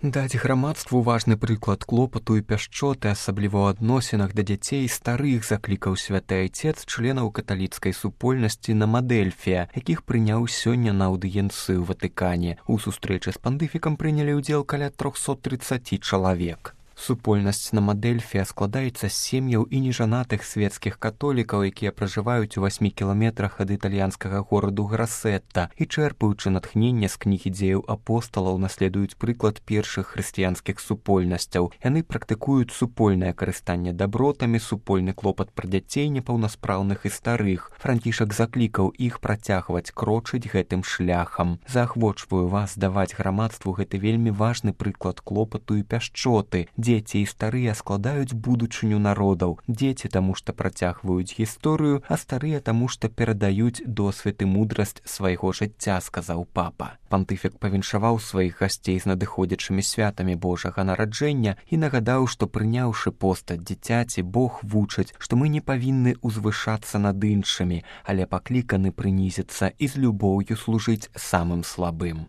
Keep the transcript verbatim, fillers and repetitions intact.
Даць грамадству важны прыклад клопату і пяшчоты, асабліва ў адносінах да дзяцей старых, заклікаў святы айцец членаў каталіцкай супольнасці на Мадэльфія, якіх прыняў сёння на аўдыенцыю ў Ватыкане. У сустрэчы з пантыфікам прынялі ўдзел каля трохсот трыццаць чалавек. Супольнасць на Мадэльфія складаецца з сем'яў і нежанатых свецкіх католікаў, якія пражываюць у васьмі кіламетрах ад італьянскага гораду Грасетта і, чэрпаючы натхнення з кнігі дзеяў апосталаў, наследуюць прыклад першых хрысціянскіх супольнасцяў. Яны практыкуюць супольнае карыстанне дабротамі, супольны клопат пра дзяцей непаўнаспраўных і старых. Францішак заклікаў іх працягваць крочыць гэтым шляхам. Заахвочваю вас даваць грамадству гэты вельмі важны прыклад клопату і пяшчоты. Дзеці і старыя складаюць будучыню народаў. Дзеці таму, што працягваюць гісторыю, а старыя таму, што перадаюць досвед і мудрасць свайго жыцця, сказаў папа. Пантыфік павіншаваў сваіх гасцей з надыходзячымі святамі Божага нараджэння і нагадаў, што прыняўшы постаць дзіцяці, Бог вучыць, што мы не павінны ўзвышацца над іншымі, але пакліканы прынізіцца і з любоўю служыць самым слабым.